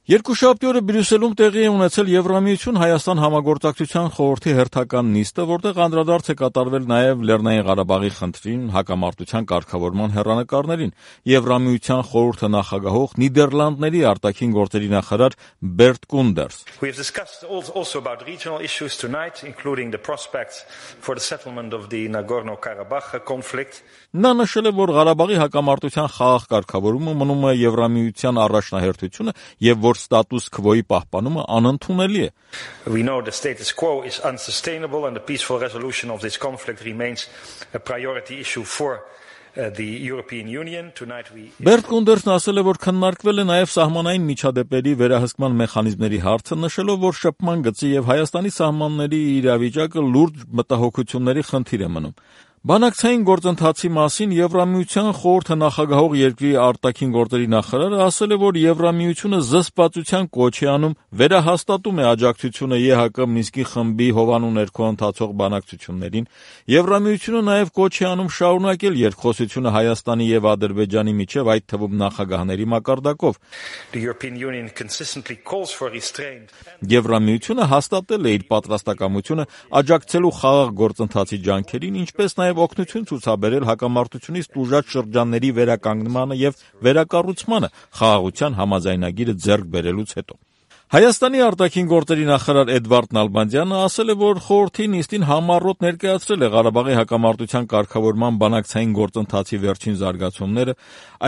Երկուշաբթի օրը Բրյուսելում տեղի է ունեցել Եվրամիություն-Հայաստան համագործակցության խորհրդի հերթական նիստը, որտեղ անդրադարձ է կատարվել նաև Լեռնային Ղարաբաղի խնդրին, հակամարտության կարգավորման հեռանկարներին։ Եվրամիության խորհուրդը նախագահող Նիդերլանդների արտաքին գործերի նախարար Բերտ Կունդերս. We have discussed also about regional issues tonight, including the prospects for the settlement of the Nagorno-Karabakh conflict. Նա նշել է, որ Ղարաբաղի հակամարտության խաղաղ կարգավորումը մնում է Եվրամիության առաջնահերթությունը եւ որ ստատուս քվոյի պահպանումը անընդունելի է։ We know the status quo is unsustainable and the peaceful resolution of this conflict remains a priority issue for the European Union. Tonight we Բերտ Կունդերսն ասել է, որ քննարկվել է նաև սահմանային միջադեպերի վերահսկման մեխանիզմների հարցը, նշելով, որ շփման գծի եւ Հայաստանի սահմանների իրավիճակը լուրջ մտահոգությունների խնդիր է մնում։ Բանակցային գործընթացի մասին Եվրամիության խորհուրդը նախագահող երկրի արտաքին գործերի նախարարը ասել է, որ Եվրամիությունը զսպվածության կոչ է անում, վերահաստատում է աջակցությունը ԵՀԿ Մինսկի խմբի հովանու ներքո ընթացող բանակցություններին։ Եվրամիությունը նաև կոչ է անում շարունակել երկխոսությունը Հայաստանի եւ Ադրբեջանի միջև, այդ թվում նախագահների մակարդակով։ The European Union consistently calls for restraint. Եվրամիությունը հաստատել է իր պատրաստակամությունը աջակցելու խաղաղ գործընթացի ջանքերին, ինչպես նաև օգնություն ցուցաբերել հակամարտությունից տուժած շրջանների վերականգնմանը եւ վերակառուցմանը խաղաղության համաձայնագիրը ձեռք բերելուց հետո։ Հայաստանի արտաքին գործերի նախարար Էդվարդ Նալբանդյանը ասել է, որ խորհրդի նիստին համառոտ ներկայացրել է Ղարաբաղի հակամարտության կարգավորման բանակցային գործընթացի վերջին զարգացումները,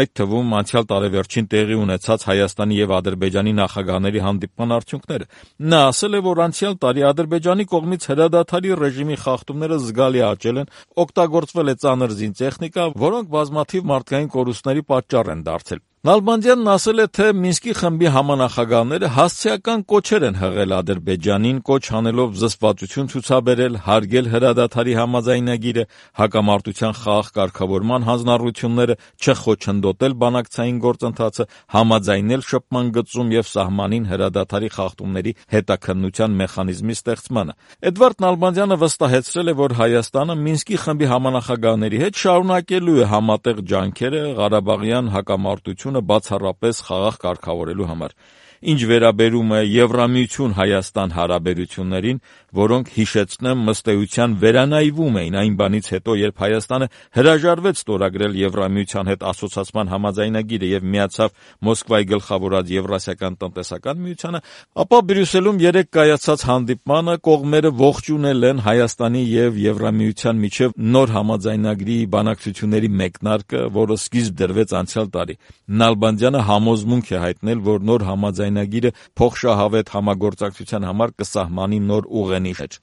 այդ թվում անցյալ տարեվերջին տեղի ունեցած Հայաստանի եւ Ադրբեջանի նախագահների հանդիպման արդյունքները։ Նա ասել է, որ անցյալ տարի Ադրբեջանի կողմից հրադադարի ռեժիմի խախտումները զգալի աճել են, օգտագործվել է ծանր զինտեխնիկա, որոնք բազմաթիվ մարդկային կորուստների պատճառ են դարձել։ Նալբանդյանն ասել է, թե Մինսկի խմբի համանախագահները հասցեական կոչեր են հղել Ադրբեջանին, կոչ անելով զսպվածություն ցուցաբերել, հարգել հրադադարի համաձայնագիրը, հակամարտության խաղաղ կարգավորման հանձնառությունները, չխոչընդոտել բանակցային գործընթացը, համաձայնել շփման գծում եւ սահմանին հրադադարի խախտումների հետաքննության մեխանիզմի ստեղծմանը։ Էդվարդ Նալբանդյանը վստահեցրել է, որ Հայաստանը Մինսկի խմբի համանախագահների հետ շարունակելու է համատեղ ջանքերը Ղարաբաղյան հակամարտությունը բացառապես խաղաղ կարգավորելու համար։ Ինչ վերաբերում է Եվրամիություն-Հայաստան հարաբերություններին, որոնք, հիշեցնեմ, ըստ էության վերանայվում էին այն բանից հետո, երբ Հայաստանը հրաժարվեց ստորագրել Եվրամիության հետ ասոցիացման համաձայնագիրը եւ միացավ Մոսկվայի գլխավորած Եվրասիական տնտեսական միությանը, ապա Բրյուսելում երեկ կայացած հանդիպմանը կողմերը ողջունել են Հայաստանի եւ Եվրամիության միջև նոր համաձայնագրի բանակցությունների մեկնարկը, որը սկիզբ դրվեց անցյալ տարի։ Նալբանդյանը համոզմունք է հայտնել, որ նոր համաձայնագիրը փոխշահավետ համագործակցության համար կսահմանի նոր ուղենիշեր։